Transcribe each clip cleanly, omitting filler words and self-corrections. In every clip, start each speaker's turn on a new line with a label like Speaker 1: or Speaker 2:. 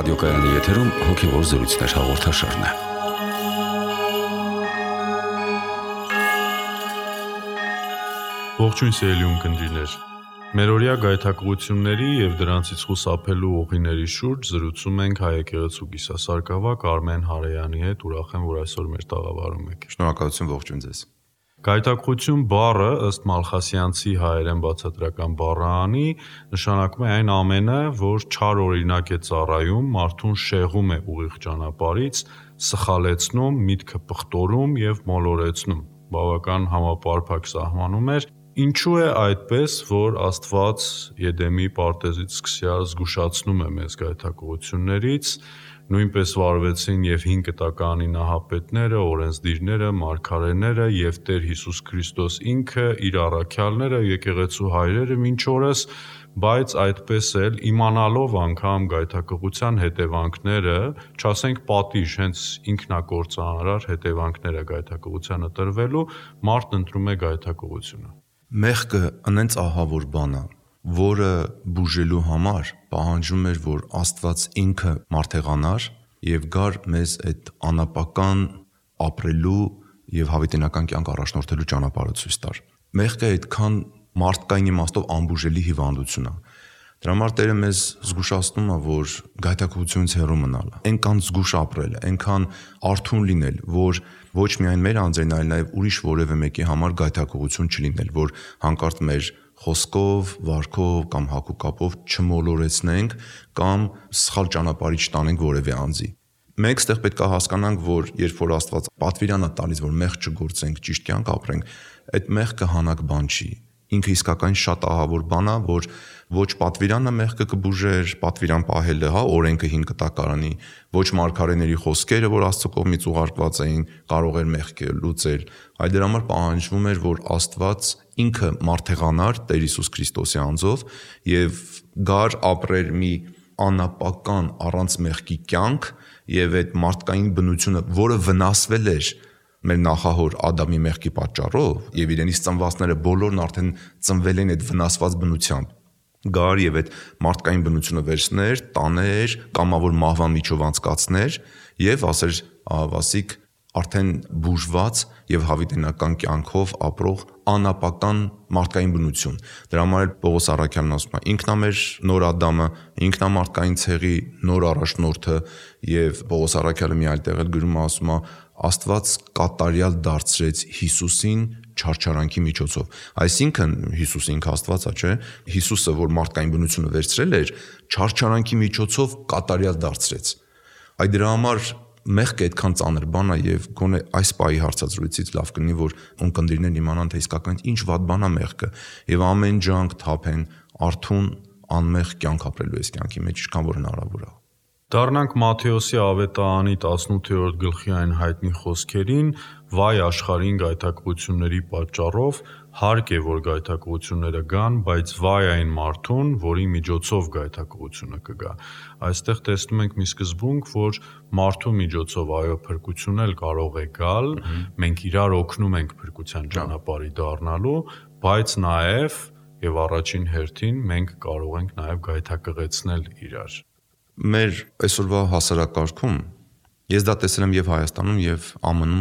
Speaker 1: Ռադիոկայանի եթերում հոգևոր զրույցներ հաղորդաշարն է։
Speaker 2: Ողջույն սիրելի ունկնդիրներ։ Մերօրյա գայթակղությունների եւ դրանցից խուսափելու ուղիների շուրջ զրուցում ենք Հայ եկեղեցու կիսասարկավակ Արմեն Հարեյանի հետ, ուրախ եմ, որ այսօր մեր տաղավարում եք։
Speaker 3: Շնորհակալություն, ողջույն ձեզ։
Speaker 2: Գայթակղություն բառը ըստ Մալխասյանցի հայերեն բացատրական բառահանի նշանակում է այն ամենը, որ չար օրինակ է ծառայում, մարդուն շեղում է ուղիղ ճանապարհից, սխալեցնում, միտքը պղտորում եւ մոլորեցնում։ Բավական համապարփակ սահմանում էր։ Ինչու է այդպես, որ Աստված Եդեմի պարտեզից սկսյալ զգուշացնում է մեզ գայթակղություններից, նույնպես վարվեցին եւ 5 կտականի նահապետները, օրենսդիրները, մարգարեները եւ Տեր Հիսուս Քրիստոս ինքը, իր առաքյալները, եկեղեցու հայրերը մինչ օրս, բայց այդպես էլ իմանալով անգամ գայթակղության հետևանքները, չասենք պատիժ, հենց ինքնակործանարար հետևանքները գայթակղությանը տրվելու, մարդն ընտրում է գայթակղությունը։
Speaker 3: Մեղքը անենց ահավոր բան է, որը բուժելու համար պահանջում էր, որ Աստված ինքը մարդեղանար եւ գար մեզ այդ անապական ապրելու եւ հավիտենական կյանք առաջնորդելու ճանապարհը ցույց տար։ Մեղքը այդքան մարդկային իմաստով անբուժելի հիվանդություն է։ Դրա համար Տերը մեզ զգուշացնում է, որ գայթակղությունից հեռու մնալ, այնքան զգուշ ապրել, այնքան արթուն լինել, որ ոչ միայն մեր անձերն, այլ նաև ուրիշ որևէ մեկի համար գայթակղություն չլինել, որ հանկարծ մեր խոսքով, վարքով կամ հագուկապով չմոլորեցնենք կամ սխալ ճանապարհի չտանենք որևէ անձի։ Մենք ստեղ պետք է հասկանանք, որ երբ որ Աստված պատվիրան է տալիս, որ մեղք չգործենք, ճիշտ կյանք ապրենք, այդ մեղքը հանակ բան չի։ Ինքը իսկական շատ ահավոր բան է, որ ոչ պատվիրանը մեղքը կբուժեր, պատվիրան պահելը, օրենքը 5 կտակարանի, ոչ մարգարեների խոսքերը, որ Աստծո կողմից ուղարկված էին, կարող էր մեղքը լուծել, այլ դրա համար պահանջվում էր, որ Աստված ինքը մարդեղանար Տեր Հիսուս Քրիստոսի անձով եւ գար ապրեր մի անապական առանց մեղքի կյանք եւ այդ մարդկային բնությունը, որը վնասվել էր մեր նախահոր Ադամի մեղքի պատճառով եւ իրենից ծնվածները բոլորն արդեն ծնվել են այդ վնասված բնությամբ, գար եւ այդ մարդկային բնությունը վերցներ, տաներ, կամավոր մահվան միջով անցկացներ եւ ասեր ահավասիկ արդեն բուժված եւ հավիտենական կյանքով ապրող անապական մարդկային բնություն։ Դրա համար Պողոս առաքյալն ասում է. ինքն է մեր նոր Ադամը, ինքն է մարդկային ցեղի նոր առաջնորդը եւ Պողոս առաքյալը մի այլ տեղ էլ գրում է, ասում է. Աստված կատարյալ դարձրեց Հիսուսին չարչարանքի միջոցով։ Այսինքն Հիսուսը ինքը Աստվածա, չէ՞։ Հիսուսը, որ մարդկային բնությունը վերցրել էր, չարչարանքի միջոցով կատարյալ դարձրեց։ Այդ դրա համար մեղքը այդքան ծանր բան է եւ գոնե այս պահի հարցազրույցից լավ կլինի, որ ունկնդիրներն իմանան, թե իսկական ինչ վատ բան է մեղքը եւ ամեն ջանք թափեն արթուն անմեղ կյանք ապրելու այս կյանքի մեջ, ինչքան որ հնարավոր է։
Speaker 2: Դառնանք Մատթեոսի ավետարանի 18-րդ գլխի այն հայտնի խոսքերին. «Վայ աշխարհին գայթակղությունների պատճառով, հարկ է, որ գայթակղությունները գան, բայց վայ այն մարդուն, որի միջոցով գայթակղությունը կգա»։ Այստեղ տեսնում ենք մի սկզբունք, որ մարդու միջոցով այո փրկություն էլ կարող է գալ, մենք իրար օգնում ենք փրկության ճանապարհի դառնալու, բայց նաև եւ առաջին հերթին մենք կարող ենք նաև գայթակղեցնել իրար։
Speaker 3: Մեր այսօրվա հասարակարգում ես դա տեսել եմ եւ Հայաստանում եւ ԱՄՆ-ում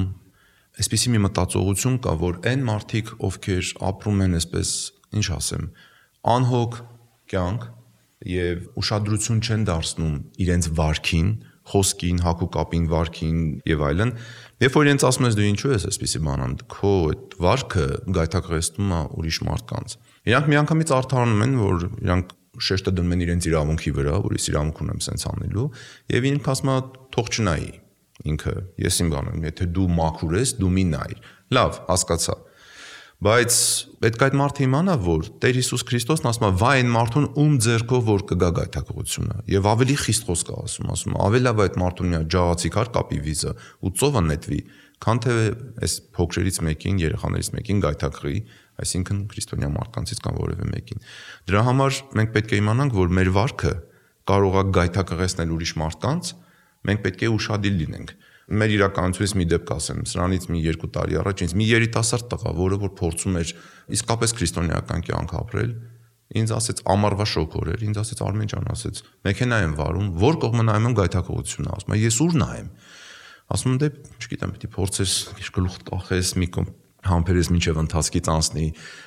Speaker 3: այսպիսի մի մտածողություն կա, որ այն մարդիկ, ովքեր ապրում են այսպես, ինչ ասեմ, անհոգ կյանք եւ ուշադրություն չեն դարձնում իրենց վարքին, խոսքին, հագուկապին, վարքին եւ այլն, երբ որ իրենց ասում ես դու ինչու ես այսպիսի բան անում, քո այդ վարքը գայթակղեցնում է ուրիշ մարդկանց։ Իրանք միանգամից արդարանում են, որ իրանք շեշտը դնում են իրենց իրավունքի վրա, որ ես իրավունք ունեմ սենց անելու, եւ ինքը ասում է թող չնայի ինքը, ես իմ բանը, եթե դու մաքուր ես, դու մի նայ։ Լավ, հասկացա։ Բայց պետք է այդ մարդը իմանա, որ Տեր Հիսուս Քրիստոսն ասում է վայ այն մարդուն, ում ձեռքով որ կգա գայթակղությունը, եւ ավելի խիստ խոսք է ասում, ավելի լավ այդ մարդուն մի ջաղացի քար կապի վիզը ու ծովը նետվի, քան թե այս փոքրերից մեկին, երեխաներից մեկին գայթակղի, այսինքն քրիստոնյա մարդկանցից կամ որևէ մեկին։ Դրա համար մենք պետք է իմանանք, որ մեր վարքը կարող է գայթակղեցնել ուրիշ մարդկանց, մենք պետք է ուշադիր լինենք։ Մեր իրականությունից մի դեպք ասեմ, սրանից մի 2 տարի առաջ ինձ մի երիտասարդ տղա, որը որ փորձում էր իսկապես քրիստոնեական կյանք ապրել, Ինձ ասեց ամառվա շոգոր էր, ինձ ասեց Արմեն ջան, ասեց մեքենա եմ վարում, որ կողմը նայում եմ գայթակղությունն է, ասում եմ ես ուր նայեմ։ Ասում եմ դե չգիտեմ, պիտի փորձես գլուխ կախես, մի կողմ համբերես մինչև ընթացքից անցնի,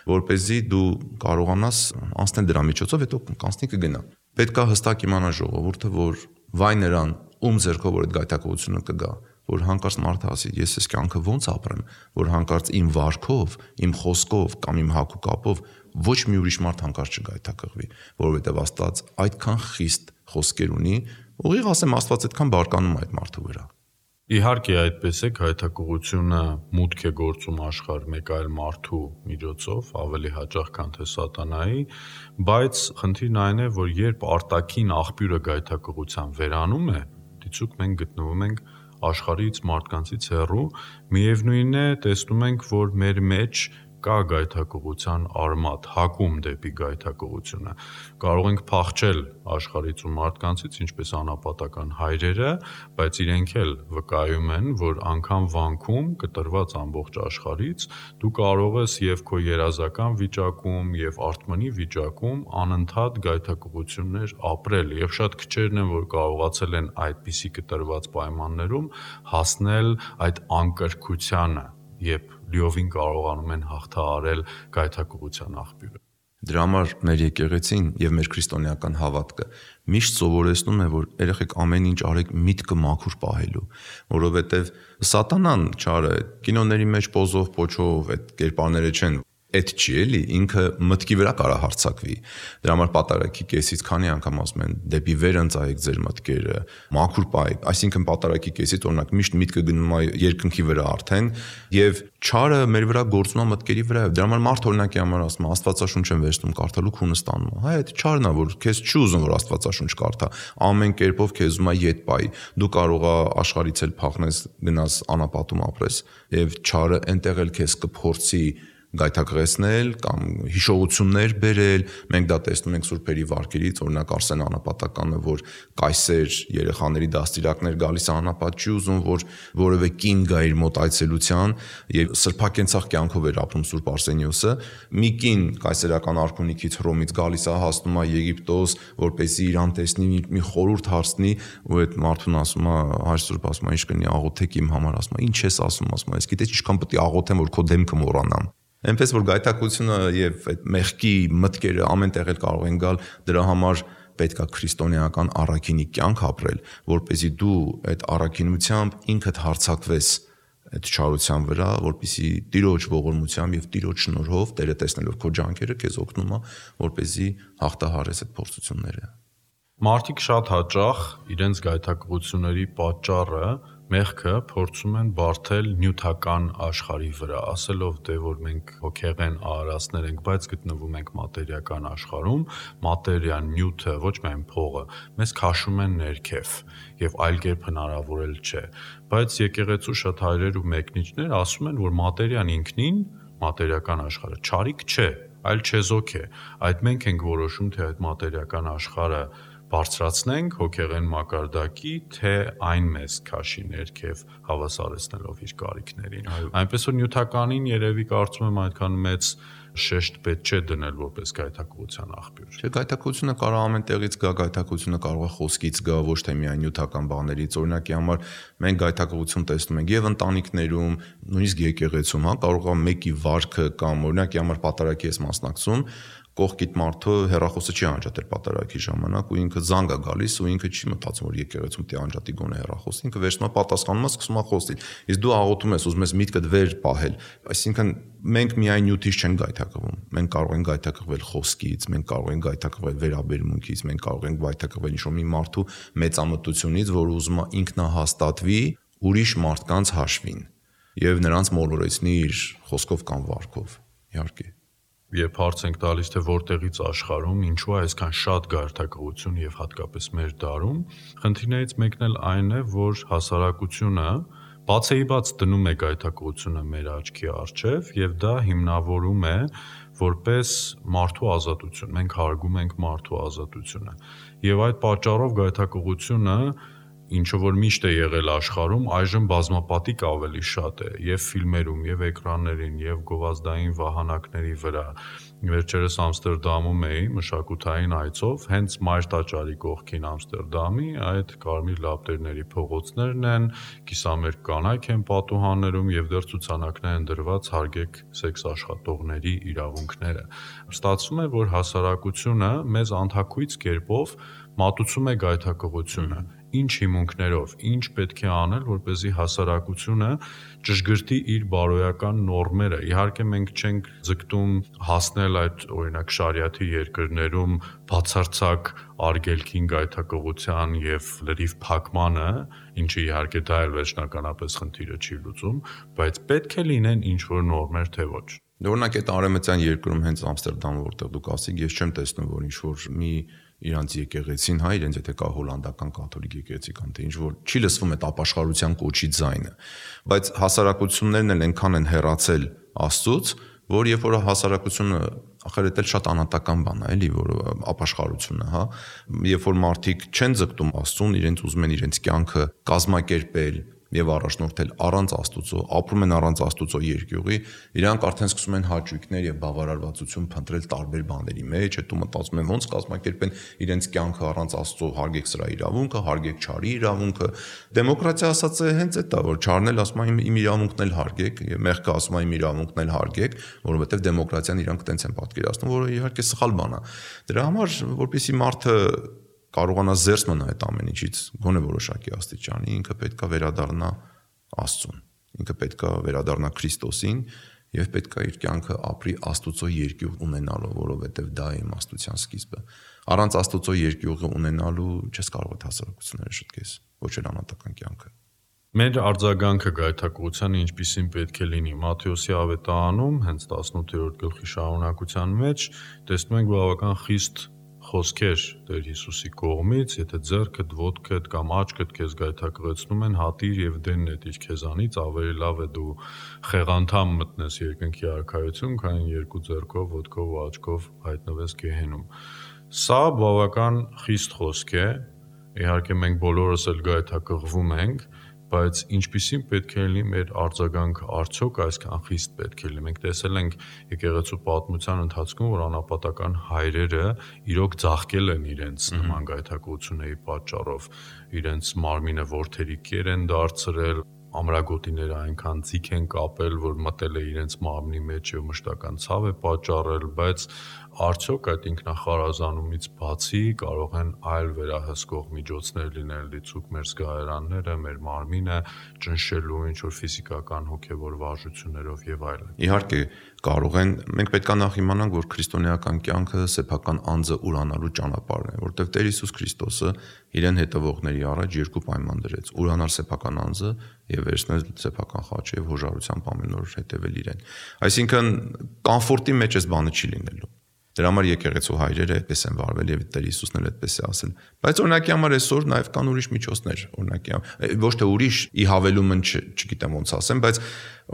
Speaker 3: որպեսզի դու կարողանաս անցնել դրա միջոցով, հետո կանցնի կգնա։ Պետք է հստակ իմանա ժողովուրդը, որ վայ նրան ում ձեռքով որ այդ գայթակղությունը կգա, որ հանկարծ մարդը ասի ես այս կյանքը ոնց ապրեմ, որ հանկարծ իմ վարքով, իմ խոսքով կամ իմ հագու կապով ոչ մի ուրիշ մարդ հանկարծ չգայթակղվի, որովհետև Աստված այդքան խիստ խոսքեր ունի, ուղիղ ասեմ Աստված այդքան բարկանում է այդ մարդու վրա։
Speaker 2: Իհարկե այդպես է, գայթակղությունը մուտք է գործում աշխարհ մեկ այլ մարդու միջոցով, ավելի հաճախ քան թե սատանայի, բայց խնդիրն այն է, որ երբ արտաքին աղբյուրը գայթակղության վերանում է, դիցուք մենք գտնվում ենք աշխարհից, մարդկանցից հեռու, միևնույնն է, տեսնում ենք, որ մեր մեջ կա գայթակղության արմատ, հակում դեպի գայթակղությունը։ Կարող ենք փախչել աշխարհից ու մարդկանցից, ինչպես անապատական հայրերը, բայց իրենք էլ վկայում են, որ անգամ վանքում կտրված ամբողջ աշխարհից դու կարող ես եւ քո երազական վիճակում եւ արթմանի վիճակում անընդհատ գայթակղություններ ապրել եւ շատ քչերն են, որ կարողացել են այդպիսի կտրված պայմաններում հասնել այդ անկրկությանը, երբ լիովին կարողանում են հաղթահարել գայթակղության աղբյուրը։
Speaker 3: Դրա համար մեր եկեղեցին եւ մեր քրիստոնեական հավատքը միշտ սովորեցնում է, որ երեխեք ամեն ինչ արեք միտքը մաքուր պահելու, որովհետեւ սատանան չարը կինոների մեջ պոզով, փոչով այդ կերպարները չեն, այդ չի էլի, ինքը մտքի վրա կարա հարձակվի։ Դրա համար պատարագի կեսից քանի անգամ ասում են դեպի վեր ընծայեք ձեր մտքերը, մաքուր պահեք, այսինքն պատարագի կեսից օրինակ միշտ միտքը գնում է երկնքի վրա արդեն եւ չարը մեր վրա գործում է մտքերի վրա։ Դրա համար մարդ օրինակի համար ասում է Աստվածաշունչ եմ վերցնում կարդալու քունը ստանում է։ Հա այդ չարն է, որ քեզ չի ուզում որ Աստվածաշունչ կարդա, ամեն կերպով քեզ ուզում է ետ պայի։ Դու կարող ես աշխարհից էլ փախնես, գնաս անապատում ապրես եւ չարը այնտեղ էլ քեզ կփորձի գայթակղեցնել կամ հիշողություններ բերել։ Մենք դա տեսնում ենք սուրբերի վարքերից, օրինակ Արսեն Անապատականը, որ կայսեր երեխաների դաստիարակներ գալիս անապատ չի ուզում, որ որևէ կին գա իր մոտ այցելության եւ սրբակենցաղ կյանքով էր ապրում Սուրբ Արսենիոսը։ Մի կին կայսերական արքունիքից Հռոմից գալիս է, հասնում է Եգիպտոս, որպեսզի իրան տեսնի, մի խորհուրդ հարցնի, ու այդ մարդուն ասում է, հայր Սուրբ ասում է, ինչ կնի աղոթեք իմ համար, ասում է, ինչ ես ասում, ասում է, ես գիտես ինչքան պետք է աղոթեմ, որ քո դեմքը մոռանամ։ Այնպես որ գայթակղությունը եւ այդ մեղքի մտքերը ամեն տեղ էլ կարող են գալ, դրա համար պետք է քրիստոնեական առաքինի կյանք ապրել, որպեսզի դու այդ առաքինությամբ ինքդ հարձակվես այդ չարության վրա, որպեսզի Տիրոջ ողորմությամբ եւ Տիրոջ շնորհով Տերը տեսնելով քո ջանքերը քեզ օգնում է, որպեսզի հաղթահարես այդ փորձությունները։
Speaker 2: Մարդիկ շատ հաճախ իրենց գայթակղությունների պատճառը մեղքը փորձում են բարթել նյութական աշխարհի վրա, ասելով դե որ մենք հոգեղեն արարածներ ենք, բայց գտնվում ենք մատերիական աշխարհում, մատերիան, նյութը, ոչ միայն փողը, մեզ քաշում են ներքև եւ այլ կերպ հնարավոր էլ չէ։ Բայց եկեղեցու շատ հայրեր ու մեկնիչներ ասում են, որ մատերիան ինքնին, մատերիական աշխարհը չարիք չէ, այլ չեզոք է։ Այդ մենք ենք որոշում, թե այդ մատերիական աշխարհը բարձրացնենք հոգեղեն մակարդակի, թե այն մեզ քաշի ներքև հավասարեցնելով իր կարիքներին։ Այնպես որ նյութականին երևի կարծում եմ այդքան մեծ շեշտ պետք չէ դնել որպես գայթակղության աղբյուր։
Speaker 3: Չէ, գայթակղությունը կարող ամեն տեղից գա, գայթակղությունը կարող է խոսքից գա, ոչ թե միայն նյութական բաներից։ Օրինակի համար մենք գայթակղություն տեսնում ենք եւ ընտանիքներում, նույնիսկ եկեղեցում, հա, կարող է մեկի վարքը կամ օրինակի համար պատարագի ես մասնակցում, կողքիդ մարդը հեռախոսը չի անջատել պատարագի ժամանակ ու ինքը զանգ է գալիս ու ինքը չի մտածում որ եկեղեցում դի անջատի գոնե հեռախոսը, ինքը վերցնում է պատասխանում է, սկսում է խոսել։ Իսկ դու աղոթում ես, ուզում ես միտքդ վեր պահել։ Այսինքն մենք միայն նյութից չենք գայթակղվում։ Մենք կարող ենք գայթակղվել խոսքից, մենք կարող ենք գայթակղվել վերաբերմունքից, մենք կարող ենք գայթակղվել ինչ-որ մի մարդու մեծամտությունից, որ ուզում է ինքնահաստատվի ուրիշ մարդկանց հաշվին եւ նրանց մոլորեցնի իր խոսքով կամ վարքով։ Իհարկե
Speaker 2: Երբ հարց ենք տալիս, թե որտեղից աշխարհում, ինչու է այսքան շատ գայթակղություն եւ հատկապես մեր դարում, խնդիրներից մեկն էլ այն է, որ հասարակությունը բացեիբաց դնում է գայթակղությունը մեր աչքի առջև եւ դա հիմնավորում է որպես մարդու ազատություն։ Մենք հարգում ենք մարդու ազատությունը։ Եվ այդ պատճառով գայթակղությունը ինչը որ միշտ է եղել աշխարհում, այժմ բազմապատիկ ավելի շատ է եւ ֆիլմերում, եւ էկրաններին, եւ գովազդային վահանակների վրա։ Վերջերս Ամստերդամում էի մշակութային այցով, հենց Մայր տաճարի կողքին Ամստերդամի այդ կարմիր լապտերների փողոցներն են, կիսամերկ կանայք են պատուհաններում եւ դեռ ցուցանակներ են դրված հարգեք սեքս աշխատողների իրավունքները։ Ստացվում է, որ հասարակությունը մեզ անթակույց կերպով մատուցում է գայթակղությունը։ Ինչ հիմունքներով, ինչ պետք է անել, որպեսզի հասարակությունը ճշգրտի իր բարոյական նորմերը։ Իհարկե մենք չենք ձգտում հասնել այդ օրինակ շարիաթի երկրներում բացարձակ արգելքին, գայթակղության եւ լրիվ փակմանը, ինչը իհարկե դա էլ վերջնականապես խնդիրը չի լուծում, բայց պետք է լինեն ինչ որ նորմեր, թե ոչ։
Speaker 3: Օրինակ այդ արևմտյան երկրում հենց Ամստերդամը, որտեղ դուք ասիք, ես չեմ տեսնում, որ ինչ որ մի իրանց եկեղեցին, հա, իրենց եթե կա հոլանդական կաթոլիկ եկեղեցի կամ թե ինչ որ չի լսվում այդ ապաշխարության կոչի ձայնը, բայց հասարակություններն էլ այնքան են հեռացել Աստծուց, որ երբ որ հասարակությունը ախր դա շատ անհատական բան է, էլի, որ ապաշխարությունը, հա, երբ որ մարդիկ չեն ձգտում Աստծուն, իրենց ուզում են իրենց կյանքը կազմակերպել եւ առաջնորդել առանց Աստուծո, ապրում են առանց Աստուծո երկյուղի, իրանք արդեն սկսում են հաճույքներ եւ բավարարվածություն փնտրել տարբեր բաների մեջ, հետո մտածում են ոնց կազմակերպեն իրենց կյանքը առանց Աստծո, հարգեք սրա իրավունքը, հարգեք չարի իրավունքը։ Դեմոկրատիա ասած է հենց այդ է, որ չարն էլ ասում է իմ իրավունքն էլ հարգեք, եւ մեղքը ասում է իմ իրավունքն էլ հարգեք, որովհետեւ դեմոկրատիան իրանք տենց են պատկերացնում, որը իհարկե սխալ բան է։ Դրա համար, որպեսզի մարդը կարողանա զերծ մնալ այդ ամեն ինչից, գոնե որոշակի աստիճանի, ինքը պետքա վերադառնա Աստծուն, ինքը պետքա վերադառնա Քրիստոսին եւ պետքա իր կյանքը ապրի Աստուծո երկյուղ ունենալով, որովհետեւ դա է իմաստության սկիզբը։ Առանց Աստուծո երկյուղը ունենալու չես կարող այդ հասարակությունները շտկես, ոչ էլ անհատական կյանքը։
Speaker 2: Մեր արձագանքը գայթակղությանը ինչպիսին պետք է լինի։ Մատթեոսի ավետարանում, հենց 18-րդ գլխի շարունակության մեջ, տեսնում ենք բավական խիստ խոսքեր Տեր Հիսուսի կողմից, եթե ձեռքդ, ոտքդ կամ աչքդ քեզ գայթակղեցնում են, հատիր եւ դեն նետիր քեզանից, ավելի լավ է դու խեղանթամ մտնես երկնքի արքայություն, քան երկու ձեռքով, ոտքով ու աչքով հայտնվես գեհենում։ Սա բավական խիստ խոսք է, իհարկե մենք բոլորս էլ գայթակղվում ենք, բայց ինչպիսին պետք է լինի մեր արձագանքը, արդյոք այսքան խիստ պետք է լինի։ Մենք տեսել ենք եկեղեցու պատմության ընթացքում, որ անապատական հայրերը իրոք ձաղկել են իրենց նման գայթակղությունների պատճառով, իրենց մարմինը ворթերի կեր են դարձրել, ամրագոտիները այնքան ձիգ են կապել, որ մտել է իրենց մարմնի մեջ եւ մշտական ցավ է պատճառել, բայց արդյոք այդ ինքնախարազանումից բացի կարող են այլ վերահսկող միջոցներ լինել, լիցուկ մեր զգայարանները, մեր մարմինը ճնշելու ինչ-որ ֆիզիկական հոգեվոր վարժություններով եւ այլն։
Speaker 3: Իհարկե կարող են, մենք պետք է նախ իմանանք, որ քրիստոնեական կյանքը սեփական անձը ուրանալու ճանապարհն է, որտեղ Տեր Հիսուս Քրիստոսը իրեն հետևողների առաջ երկու պայման դրեց՝ ուրանալ սեփական անձը եւ վերցնել սեփական խաչը եւ հոժարությամբ ամեն օր հետևել իրեն։ Այսինքն կոմֆորտի մեջ այս բանը չի լինելու։ Դրա համար եկեղեցու հայրերը այդպես են վարվել եւ Տեր Հիսուսն էլ այդպես է ասել։ Բայց օրինակի համար այսօր նաեւ կան ուրիշ միջոցներ, օրինակի ոչ թե ուրիշ ի հավելումն չգիտեմ ոնց ասեմ, բայց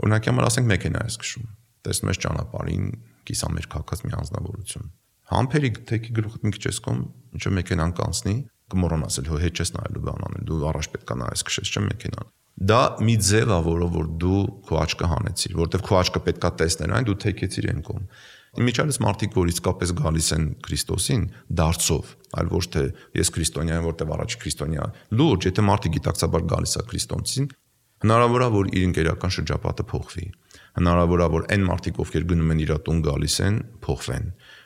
Speaker 3: օրինակի համար ասենք մեքենա ես քշում։ Տեսնում ես ճանապարհին կիսամերկ հակած մի անձնավորություն։ Համբերի թեքի գլուխդ մի քիչ էսկոմ, ինչը մեքենան կանցնի, կմոռանաս էլ հետ չես նայելու բան անել, դու առաջ պետք է նայես քշես չէ մեքենան։ Դա մի ձև է, որ դու քո աչքը հանեցիր, որտեվ քո աչքը պետքա տեսներ այն, դու թեքեցիր այն կողմ։ Իմիջիալից մարդիկ, որ իսկապես գալիս են Քրիստոսին դարձով, այլ ոչ թե ես քրիստոնյա եմ, որտեվ առաջ քրիստոնյա, լուրջ, եթե մարդը գիտակցաբար գալիս է Քրիստոսին, հնարավոր է, որ իր ընկերական շրջապատը փոխվի։ Հնարավոր է, որ այն մարդիկ, ովքեր գնում են իր տուն գալիս են, փոխվեն։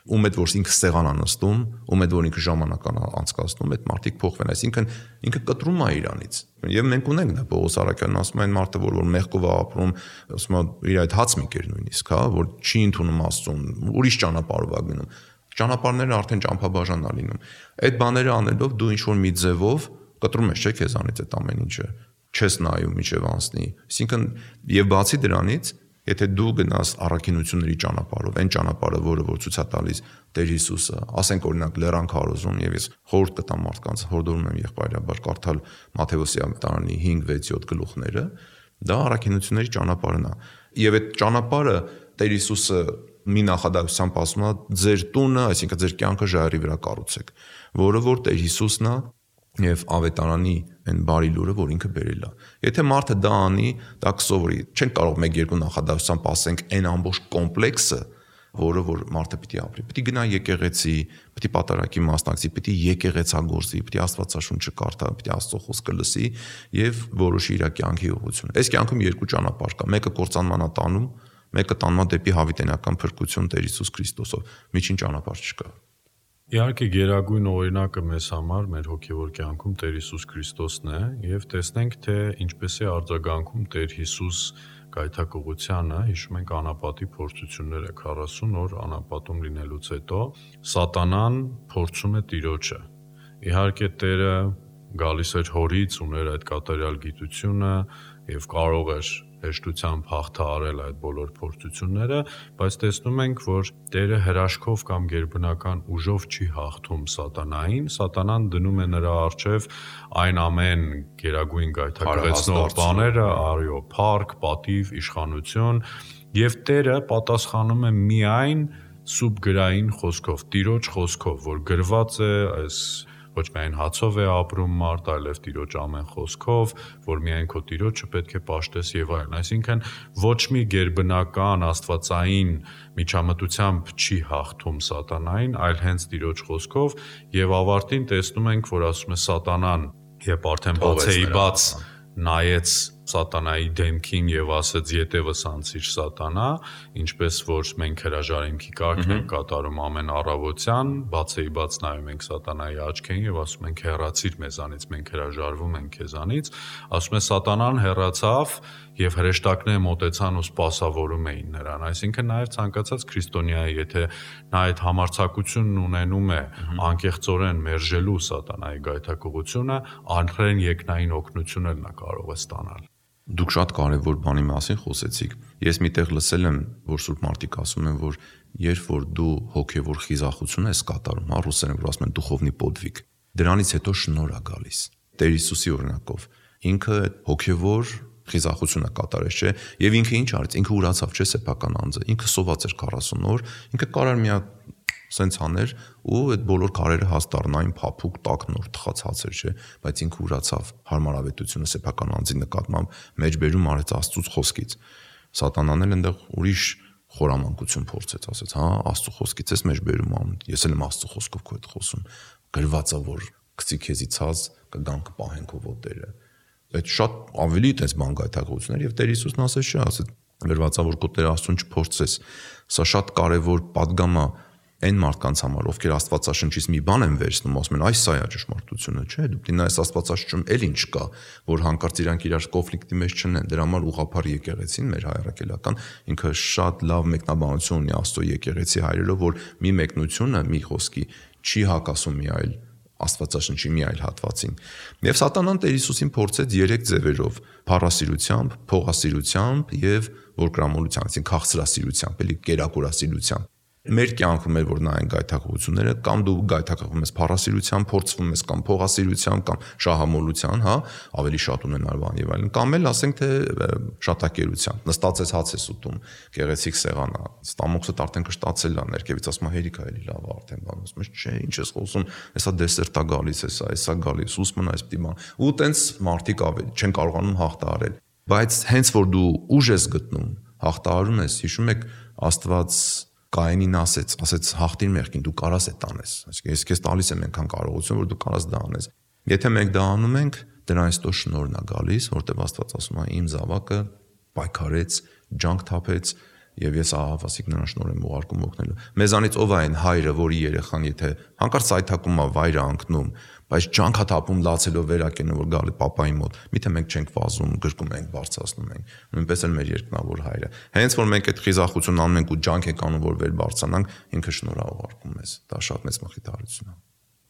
Speaker 3: Ում հետ որ ինքը սեղան անստում, ում հետ որ ինքը ժամանակ անցկացնում, այդ մարդիկ փոխվեն, այսինքն ինքը կտրում է իրանից։ Եվ մենք ունենք դա Պողոս Արաքյանն ասում է այն մարդը, որ մեղքով է ապրում, ասում է իր այդ հաց մի կեր նույնիսկ, հա, որ չի ընդունում Աստծուն, ուրիշ ճանապարհով է գնում։ Ճանապարհները արդեն ճամփաբաժան է լինում։ Այդ բաները անելով դու ինչ որ մի ձևով կտրում ես, չէ՞, քեզանից այդ ամեն ինչը չես նայում միջև անցնի։ Այսինքն եւ բացի դրանից, եթե դու գնաս առաքինությունների ճանապարհով, այն ճանապարհը, որը որ ցույց է տալիս Տեր Հիսուսը, ասենք օրինակ Լեռան քարոզում, եւ ես խորհուրդ կտամ մարդկանց, հորդորում եմ եղբայրաբար կարդալ Մատթեոսի ավետարանի 5-6-7 գլուխները, դա առաքինությունների ճանապարհն է։ Եվ այդ ճանապարհը Տեր Հիսուսը մի նախադասությամբ ասում է, ձեր տունը, այսինքն ձեր կյանքը ժայռի վրա կառուցեք, որը որ Տեր Հիսուսն է, եւ ավետարանի այն բարի լուրը, որ ինքը բերել է։ Եթե մարդը դա անի, դա կսովորի։ Չենք կարող 1-2 նախադասությամբ ասենք այն ամբողջ կոմպլեքսը, որը որ մարդը պիտի ապրի։ Պիտի գնա եկեղեցի, պիտի պատարակի մասնակցի, պիտի եկեղեցագործի, պիտի Աստվածաշունչը կարդա, պիտի Աստծո խոսքը լսի եւ որոշի իր կյանքի ուղղությունը։ Այս կյանքում երկու ճանապարհ կա։ Մեկը կործանման է տանում, մեկը տանում է դեպի հավիտենական փրկություն Տեր Հիսուս Քրիստոսով։ Միջին ճանապարհ չկա։
Speaker 2: Իհարկե գերագույն օրինակը մեզ համար մեր հոգևոր կյանքում Տեր Հիսուս Քրիստոսն է եւ տեսնենք թե ինչպես է արձագանքում Տեր Հիսուս գայթակղությանը, հիշում ենք անապատի փորձությունները 40 օր անապատում լինելուց հետո սատանան փորձում է Տիրոջը։ Իհարկե Տերը գալիս էր հորից, ուներ այդ կատարյալ գիտությունը եւ կարող էր հեշտությամբ հաղթահարել այդ բոլոր փորձությունները, բայց տեսնում ենք, որ Տերը հրաշքով կամ գերբնական ուժով չի հաղթում սատանային, սատանան դնում է նրա առջև այն ամեն գերագույն գայթակղեցնող բաները, արյո, փառք, պատիվ, իշխանություն, եւ Տերը պատասխանում է միայն սուբ գրային խոսքով, Տիրոջ խոսքով, որ գրված է այս ոչ միայն հացով է ապրում մարդ, այլև Տիրոջ ամեն խոսքով, որ միայն քո Տիրոջը պետք է պաշտես եւ այլն։ Այսինքն ոչ մի գերբնական աստվածային միջամտությամբ չի հաղթում սատանային, այլ հենց Տիրոջ խոսքով եւ ավարտին տեսնում ենք, որ ասում է սատանան, երբ արդեն բացեի բաց նայեց սատանայի դեմքին եւ ասեց ետևս անցիր սատանա, ինչպես որ մենք հրաժարիմքի կարգն ենք կատարում ամեն առավոտյան, բացեի բաց նայում ենք սատանայի աչքերին եւ ասում ենք հեռացիր մեզանից, մենք հրաժարվում ենք քեզանից, ասում է սատանան հեռացավ եւ հրեշտակները մոտեցան ու սպասավորում էին նրան, այսինքն նաեւ ցանկացած քրիստոնյայի, եթե նա այդ համարձակությունն ունենում է անկեղծորեն մերժելու սատանայի գայթակղությունը, անհրեն երկնային օգնություն էլ նա կարող է ստանալ։
Speaker 3: Դուք շատ կարևոր բանի մասին խոսեցիք։ Ես միտեղ լսել եմ, որ Սուրբ մարդիկ ասում են, որ երբ որ դու հոգևոր խիզախություն ես կատարում, ռուսերեն որ ասում են դուխովնի պոդվիկ, դրանից հետո շնորհ է գալիս։ Տեր Հիսուսի օրինակով ինքը հոգևոր խիզախությունը կատարեց, չէ՞, եւ ինքը ինչ արեց, ինքը ուրացավ, չէ՞, սեփական անձը, ինքը սոված էր 40 օր, ինքը կարար մի հատ սենց աներ ու այդ բոլոր քարերը հաստառնային փափուկ տաք նոր թխած հացեր, չէ, բայց ինքը ուրացավ հարմարավետությունը սեփական անձի նկատմամբ մեջբերում արեց Աստծուց խոսքից։ Սատանան էլ այնտեղ ուրիշ խորամանկություն փորձեց, ասեց, հա, Աստծո խոսքից ես մեջբերում ամ, ես էլ եմ Աստծո խոսքով քո հետ խոսում, գրված է որ գցի քեզի ցած կգան կպահեն քո ոտերը։ Այդ շատ ավելի այդպես բան գայթակղություններ եւ Տեր Հիսուսն ասեց, չէ, ասեց գրված է որ քո Տեր Աստծուն չփորձես։ Սա շատ կարեւոր падգամ է այն մարդկանց համար, ովքեր Աստվածաշնչից մի բան են վերցնում, ասում են, այս սա է ճշմարտությունը, չէ՞, դու դինա այս Աստվածաշնչում էլ ինչ կա, որ հանկարծ իրանք իրար կոնֆլիկտի մեջ չնեն, դրա համար ուղղափառ եկեղեցին մեր հայրաքելական ինքը շատ լավ մեկնաբանություն ունի Աստծո եկեղեցի հայրերով, որ մի մեկնությունը, մի խոսքի չի հակասում մի այլ Աստվածաշնչի մի այլ հատվածին։ Եվ սատանան Տեր Հիսուսին փորձեց 3 ձևերով՝ փառասիրությամբ, փողասիրությամբ եւ որկրամոլությամբ, այսինքն քաղցրասիրությամբ, էլի կերակուրասիրությամբ։ Մեր կյանքում էր որ նայեն գայթակղությունները, կամ դու գայթակղվում ես փառասիրությամբ, փորձվում ես կամ փողասիրությամբ, կամ շահամոլության, հա, ավելի շատ ունենալ բան եւ այլն, կամ էլ ասենք թե շատակերությամբ, նստած ես հաց ես ուտում, գեղեցիկ սեղան է, ստամոքսը արդեն կշտացել է, ներքևից ասում է հերիք է էլի լավ է արդեն բան, ասում ես չէ, ինչ ես խոսում, հեսա դեսերտա գալիս, հեսա գալիս, ուսմն այս պիտի բան։ Ու տենց մարդիկ ավելի չեն կարողանում հաղթահարել։ Բայց հենց որ դու ուժ ես գտնում, հաղթահարում ես, հիշում եք Աստված Կայենին ասեց հաղթիր մեղքին, դու կարաս այդ անես։ Այսինքն ես քեզ տալիս եմ այնքան կարողություն, որ դու կարաս դա անես։ Եթե մենք դա անում ենք, դրանից հետո շնորհն է գալիս, որտեղ Աստված ասում է իմ զավակը պայքարեց, ջանք թափեց եւ ես ահավասիկ նրան շնորհ եմ ուղարկում օգնելու։ Մեզանից ով է այն հայրը, որի երեխան եթե հանկարծ այթակում է վայրը անկնում, բայց ջանքա թափում լացելով վերակենում որ գալի պապայի մոտ, միթե մենք չենք վազում, գրկում ենք, բարձրացնում ենք։ Նույնպես էլ մեր երկնավոր հայրը։ Հենց որ մենք այդ խիզախությունն անում ենք ու ջանք ենք անում որ վեր բարձրանանք, ինքը շնորհ է ուղարկում մեզ։ Դա շատ մեծ մխիթարություն է։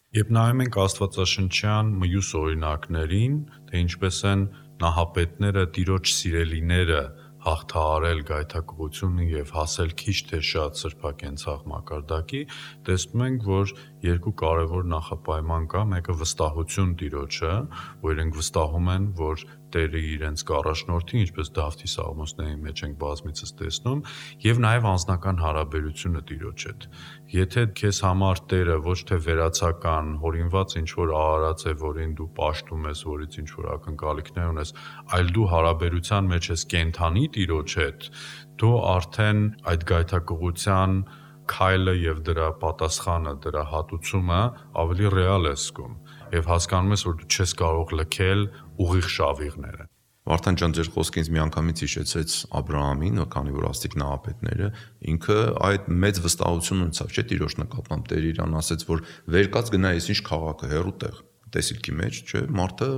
Speaker 2: Երբ նայում ենք Աստվածաշնչյան մյուս օրինակներին, թե ինչպես են նահապետները, Տիրոջ սիրելիները հաղթահարել գայթակղությունը եւ հասել քիչ թե շատ սրբակենցաղ մակարդակի, տեսնում ենք, որ երկու կարևոր նախապայման կա, մեկը վստահություն Տիրոջը, որ իրենք վստահում են, որ Տերը իրենց կառաջնորդի, ինչպես Դավթի սաղմոսների մեջ ենք բազմիցս տեսնում, եւ նաեւ անձնական հարաբերությունը Տիրոջ հետ։ Եթե քեզ համար Տերը ոչ թե վերացական, հորինված ինչ-որ արարած է, որին դու պաշտում ես, որից ինչ-որ ակնկալիքներ ունես, այլ դու հարաբերության մեջ ես կենթանի Տիրոջ հետ, դու արդեն այդ գայթակղության քայլը եւ դրա պատասխանը, դրա հատուցումը ավելի ռեալ է զգում եւ հասկանում ես, որ դու չես կարող լքել ուղիղ շավիղները։
Speaker 3: Վարդան ջան, ձեր խոսքը ինձ միանգամից հիշեցրեց Աբրահամին, քանի որ աստիկ նահապետները, ինքը այդ մեծ վստահություն ունեցավ, չէ՞, Տիրոջ նկատմամբ Տերը իրան ասեց, որ վերկաց գնա ես ինչ քաղաքը, հեռու տեղ, տեսիլքի մեջ, չէ՞, մարդը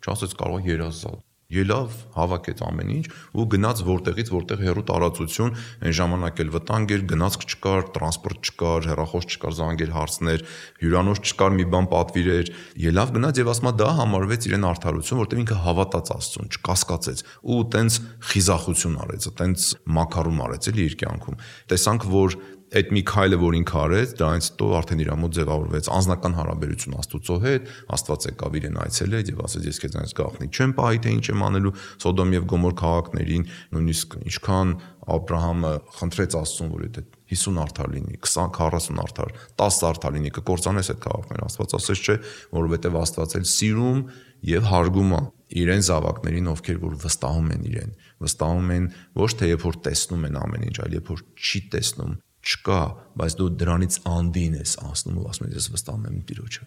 Speaker 3: չասեց կարող երազալ։ Ելավ, հավաքեց ամեն ինչ ու գնաց որտեղից որտեղ հեռու տարածություն, այն ժամանակ էլ վտանգ էր, գնացք չկար, տրանսպորտ չկար, հեռախոս չկար, զանգեր հարցներ, հյուրանոց չկար, մի բան պատվիրեր, ելավ գնաց եւ ասма դա համարվեց իրեն արդարություն, որտեղ ինքը հավատաց Աստծուն, չկասկածեց ու տենց խիզախություն արեց, տենց մակարում արեց էլի իր կյանքում։ Տեսանք, որ այդ մի քայլը, որ ինքը արեց, դրանից հետո արդեն իր մոտ ձևավորվեց անձնական հարաբերություն Աստծո հետ, Աստված եկավ իրեն այցելեց եւ ասեց ես քեզանից գաղտնի չեմ պահի, թե ինչ եմ անելու Սոդոմ եւ Գոմոր քաղաքներին, նույնիսկ ինչքան Աբրահամը խնդրեց Աստծուն, որ այդ 50 արդար լինի, 20-40 արդար, 10 արդար լինի, կկործանես այդ քաղաքները, Աստված ասեց չէ, որովհետեւ Աստված էլ սիրում եւ հարգում է իրեն զավակներին, ովքեր որ վստահում են իրեն, վստահում են ոչ թե երբ որ տեսնում են ամեն ինչ, այլ երբ որ չի տեսնում, չկա, բայց դու դրանից անդին ես անցնում ու ասում ես վստահում եմ Տիրոջը։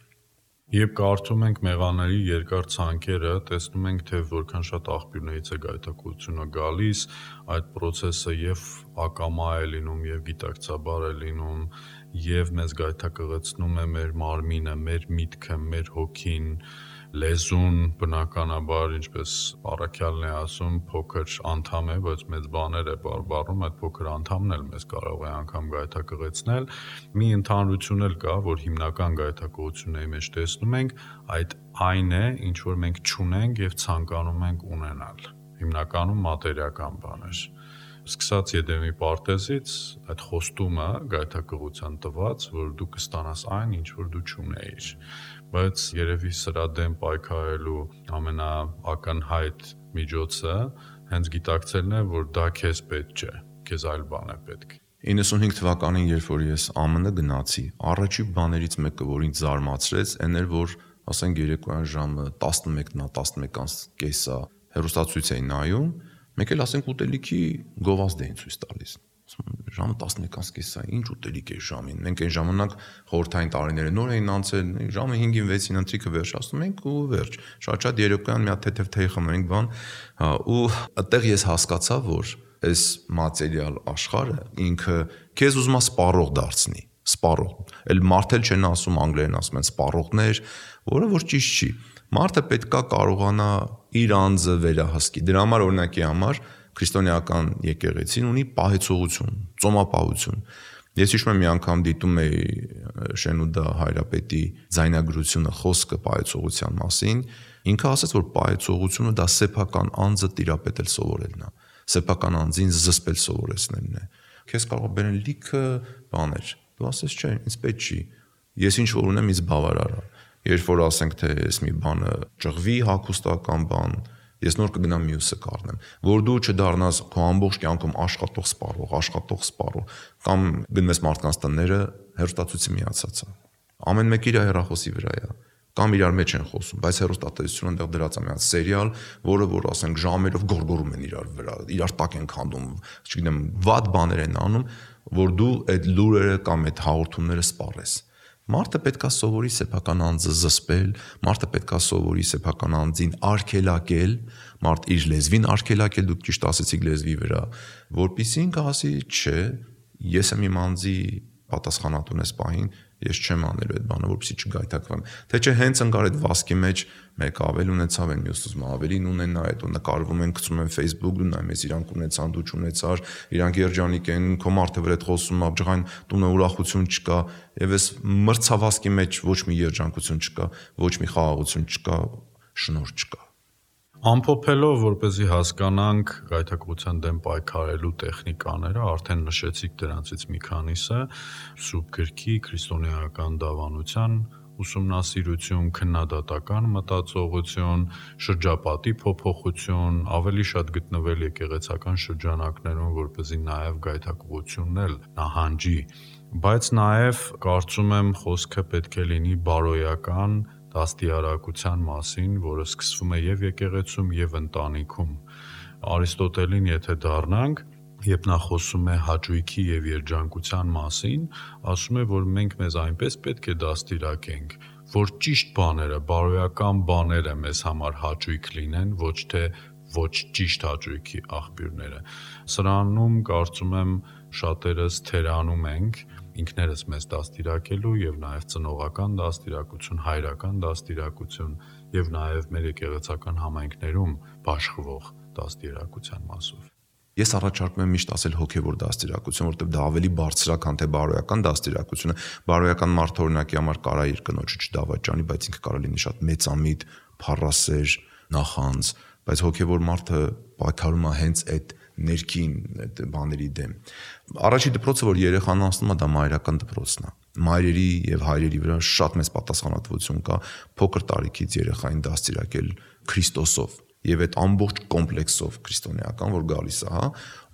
Speaker 2: Երբ կարդում ենք մեղաների երկար ցանկերը, տեսնում ենք, թե որքան շատ աղբյուրներից է գայթակղությունը գալիս, այդ process-ը եւ ակամա է լինում, եւ գիտակցաբար է լինում, եւ մեզ գայթակղեցնում է մեր մարմինը, մեր միտքը, մեր հոգին, լեզուն, բնականաբար, ինչպես Առաքյալն է ասում, փոքր անդամ է, բայց մեծ բաներ է բառում, այդ փոքր անդամն էլ մեզ կարող է անգամ գայթակղեցնել։ Մի ընդհանրություն էլ կա, որ հիմնական գայթակղությունների մեջ տեսնում ենք, այդ այն է, ինչ որ մենք չունենք եւ ցանկանում ենք ունենալ։ Հիմնականում մատերիական բաներ։ Սկսած Եդեմի պարտեզից այդ խոստումը գայթակղության տված, որ դու կստանաս այն, ինչ որ դու չունեիր, բայց երևի սրա դեմ պայքարելու ամենաակնհայտ միջոցը հենց գիտակցելն է, որ դա քեզ պետք չէ, քեզ այլ բան է պետք։
Speaker 3: 95 թվականին, երբ որ ես ԱՄՆ գնացի, առաջի բաներից մեկը, որ ինձ զարմացրեց, այն էր, որ ասենք երեկոյան ժամը 11:30 հեռուստացույց էի նայում, մեկ էլ ասենք ուտելիքի գովազդ էին ցույց տալիս։ Ժամը 11:30, ինչ ուտելիք է ժամին։ Մենք այն ժամանակ խորհրդային տարիները նոր էին անցել, ժամը 5-ին 6-ին ընթրիքը վերջացնում ենք ու վերջ։ Շատ երեկոյան մի հատ թեթև թեյ խմենք բան, ու այդտեղ ես հասկացա, որ այս մատերիալ աշխարհը ինքը քեզ ուզում է սպառող դարձնի, սպառող։ Էլ մարդել չեն ասում, անգլերեն ասում են սպառողներ, որը որ ճիշտ չի։ Մարդը պետքա կարողանա իր անձը վերահսկի։ Դրա համար օրինակի համար քրիստոնեական եկեղեցին ունի պահեցողություն, ծոմապահություն։ Ես հիշում եմ մի անգամ դիտում էի Շենուդա Հայրապետի ձայնագրությունը խոսքը պահեցողության մասին, ինքը ասաց, որ պահեցողությունը դա սեփական անձը տիրապետել սովորելն է, սեփական անձին զսպել սովորեցնելն է։ Քեզ կարող բերեն լիքը բաներ։ Դու ասես չէ, ինձ պետք չի։ Ես ինչ որ ունեմ, ինձ բավարար է։ Երբ որ ասենք թե ես մի բանը ճղվի հագուստական բան, ես նոր կգնամ մյուսը կառնեմ, որ դու չդառնաս քո ամբողջ կյանքում աշխատող սպառող, կամ գնես մարդկանց տները հեռուստացույցի միացածը։ Ամեն մեկը իր հեռախոսի վրա է, կամ իրար մեջ են խոսում, բայց հեռուստատեսությունը այնտեղ դրած է մի հատ սերիալ, որը որ ասենք ժամերով գորգորում են իրար վրա, իրար տակ են քանդում, չգիտեմ, վատ բաներ են անում, որ դու այդ լուրերը կամ այդ հաղորդումները սպառես։ Մարդը պետքա սովորի սեփական անձը զսպել, մարդը պետքա սովորի սեփական անձին արգելակել, մարդ իր լեզվին արգելակել, դուք ճիշտ ասեցիք լեզվի վրա, որpիսի ինքը ասի, չէ, ես եմ իմ անձի պատասխանատուն ես պահին, ես չեմ անելու այդ բանը, որպեսզի չգայթակվեմ։ Թե չէ հենց ընկար այդ վասկի մեջ մեկ ավել ունեցավ են, մյուսը ուզում ավելին ունենա, այդ ու նկարվում են, գցում են Facebook, դու նայում ես իրանք ունեցան, դու չունեցար, իրանք երջանիկ են, քո մարդը վրա այդ խոսում, աբջղային տունը ուրախություն չկա, եւ այս մրցավազքի մեջ ոչ մի երջանկություն չկա, ոչ մի խաղաղություն չկա, շնորհ չկա։
Speaker 2: Ամփոփելով, որպեսզի հասկանանք գայթակղության դեմ պայքարելու տեխնիկաները, արդեն նշեցիք դրանցից մի քանիսը՝ Սուրբ գրքի, քրիստոնեական դավանության ուսումնասիրություն, քննադատական մտածողություն, շրջապատի փոփոխություն, ավելի շատ գտնվել եկեղեցական շրջանակներում, որպեսզի նաև գայթակղությունն էլ նահանջի, բայց նաև կարծում եմ խոսքը պետք է լինի բարոյական դաստիարակության մասին, որը սկսվում է եւ եկեղեցում եւ ընտանիքում։ Արիստոտելին եթե դառնանք, երբ նա խոսում է հաճույքի եւ երջանկության մասին, ասում է, որ մենք մեզ այնպես պետք է դաստիարակենք, որ ճիշտ բաները, բարոյական բաները մեզ համար հաճույք լինեն, ոչ թե ոչ ճիշտ հաճույքի աղբյուրները։ Սրանում կարծում եմ շատերս թերանում ենք ինքներս մեզ դաստիարակելու եւ նաեւ ծնողական դաստիարակություն, հայրական դաստիարակություն եւ նաեւ մեր եկեղեցական համայնքներում բաշխվող դաստիարակության մասով։
Speaker 3: Ես առաջարկում եմ միշտ ասել հոգևոր դաստիարակություն, որտեղ դա ավելի բարձր է, քան թե բարոյական դաստիարակությունը։ Բարոյական մարդը օրինակի համար կարա իր կնոջը չդավաճանի, բայց ինքը կարա լինի շատ մեծամիտ, փառասեր, նախանձ, բայց հոգևոր մարդը պայքարում է հենց այդ ներքին այդ բաների դեմ։ Առաջի դպրոցը, որ երեխան անցնում է, դա մայրական դպրոցն է։ Մայրերի եւ հայրերի վրա շատ մեծ պատասխանատվություն կա փոքր տարիքից երեխային դաստիարակել Քրիստոսով եւ այդ ամբողջ կոմպլեքսով քրիստոնեական, որ գալիս է, հա,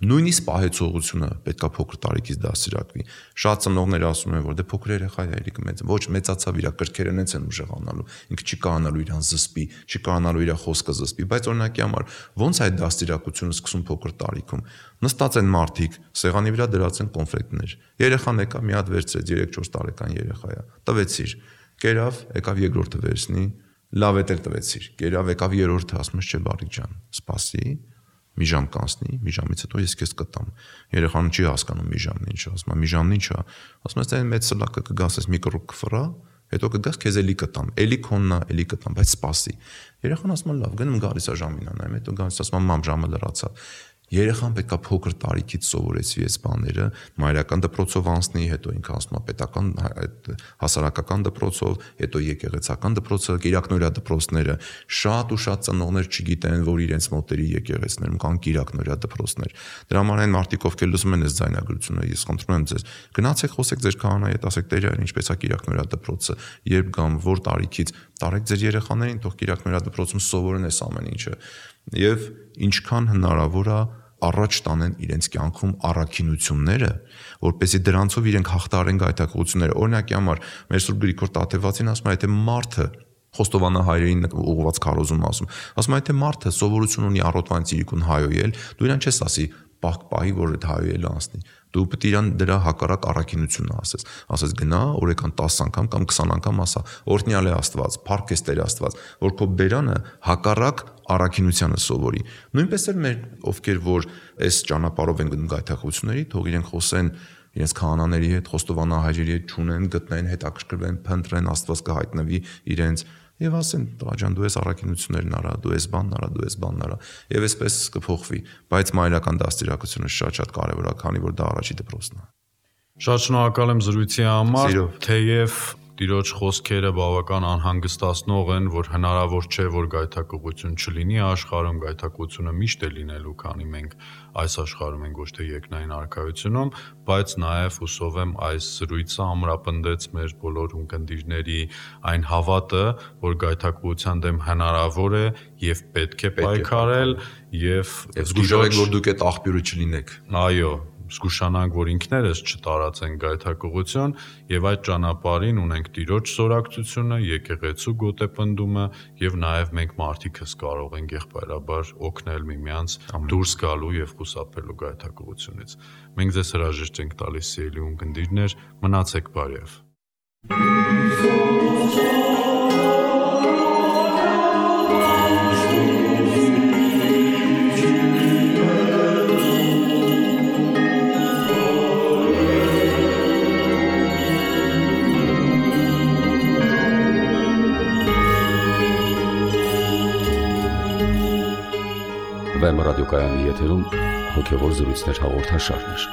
Speaker 3: նույնիսկ պահեցողությունը պետքա փոքր տարիքից դաստիարակվի։ Շատ ծնողներ ասում են, որ դե փոքր երեխա է, երիկը մեծ, ոչ մեծացավ իր կրքերը նենց են ուժեղանալու, ինքը չի կարողանալու իրան զսպի, չի կարողանալու իր խոսքը զսպի, բայց օրինակի համար ոնց այդ դաստիարակությունը սկսում փոքր տարիքում։ Նստած են մարդիկ, սեղանի վրա դրած են կոնֆետներ։ Երեխան եկավ մի հատ վերցրեց, 3-4 տարեկան երեխա է, տվեցիր, կերավ, եկավ երկրորդը վերցնի, լավ է դեր տվեցիր, կերավ, եկավ երրորդը, ասում ես չէ բարիկ ջան, սպասի, մի ժամ կանցնի, մի ժամից հետո ես քեզ կտամ։ Երեխան չի հասկանում մի ժամն ինչ է, ասում է մի ժամն ինչ է, ասում ես այն մեծ սլակը կգաս, ես մի կռուկ կֆրա, հետո կգաս քեզ էլի կտամ, էլի քոննա, էլի կտամ, բայց սպասի։ Երեխան ասում է լավ, գնում գալիս է ժամին անայում, հետո գալիս ասում է մամ ժամը լրացավ։ Երեխան պետքա փոքր տարիքից սովորեցվի այս բաները, մայրական դպրոցով անցնի, հետո ինքը ասում է պետական հասարակական դպրոցով, հետո եկեղեցական դպրոցը, կիրակնորյա դպրոցները, շատ ու շատ ծնողներ չգիտեն, որ իրենց մոտերի եկեղեցներում կան կիրակնորյա դպրոցներ։ Դրա համար այն մարդիկ, ովքեր լսում են այս ձայնագրությունը, ես խնդրում եմ ձեզ, գնացեք խոսեք ձեր քահանայի հետ, ասեք տեր այր ինչպես է կիրակնորյա դպրոցը, երբ գամ, որ տարիքից, տարեք ձեր երեխաներին, թող կիրակնորյա դպրոցում սովորեն այս ամեն ինչը։ Եվ ինչքան հնարավոր է առաջ տանեն իրենց կյանքում առաքինությունները, որպեսզի դրանցով իրենք հաղթահարեն գայթակղությունները։ Օրինակի համար մեր Սուրբ Գրիգոր Տաթևացին ասում է, եթե մարդը Խոստովանահայերին ուղղված քարոզում ասում է, եթե մարդը սովորություն ունի առօրյա ծիրիկուն հայոյել, դու իրան չես ասի պահի, որ այդ հայոյելը անցնի։ Դու պետք է իրան դրա հակառակ առաքինությունը ասես գնա օրական 10 անգամ կամ 20 անգամ ասա օրհնյալ է Աստված, փառք ես Տեր Աստված, որ քո բերանը հակառակ առաքինությանը սովորի։ Նույնպես էլ մեր ովքեր որ այս ճանապարհով են գնում գայթակղությունների, թող իրենք խոսեն իրենց քահանաների հետ, խոստովանահայերի հետ ճունեն, գտնեն, հետաքրքրվեն, փնտրեն, Աստված կհայտնվի իրենց եւ ասեն տղաջան դու ես առաքինություններն արա, դու ես բանն արա, դու ես բանն արա եւ այսպես կփոխվի, բայց մայրական դաստիարակությունը շատ կարեւոր է, քանի որ դա առաջի դպրոցն է։
Speaker 2: Շատ շնորհակալ եմ զրույցի համար, թեև Տիրոջ խոսքերը բավական անհանգստացնող են, որ հնարավոր չէ, որ գայթակղություն չլինի աշխարհում, գայթակղությունը միշտ է լինելու, քանի մենք այս աշխարհում ենք, ոչ թե երկնային արքայությունում, բայց նաև հուսով եմ այս զրույցը ամրապնդեց մեր բոլոր ունկնդիրների այն հավատը, որ գայթակղության դեմ հնարավոր է եւ պետք է պայքարել եւ
Speaker 3: զգուշանանք, որ դուք այդ աղբյուրը չլինեք։
Speaker 2: Այո, զգուշանանք, որ ինքներս չտարածենք գայթակղություն եւ այդ ճանապարհին ունենք Տիրոջ սորակցությունը, եկեղեցու գոտեպնդումը եւ նաեւ մենք մարդիկս կարող ենք եղբայրաբար օգնել միմյանց դուրս գալու եւ խուսափելու գայթակղությունից։ Մենք ձեզ հրաժեշտ ենք տալիս սիրելի ունկնդիրներ, մնացեք բարև։
Speaker 1: Վեմ ռադիոկայանի եթերում հոգևոր զրույցներ հաղորդաշարներ։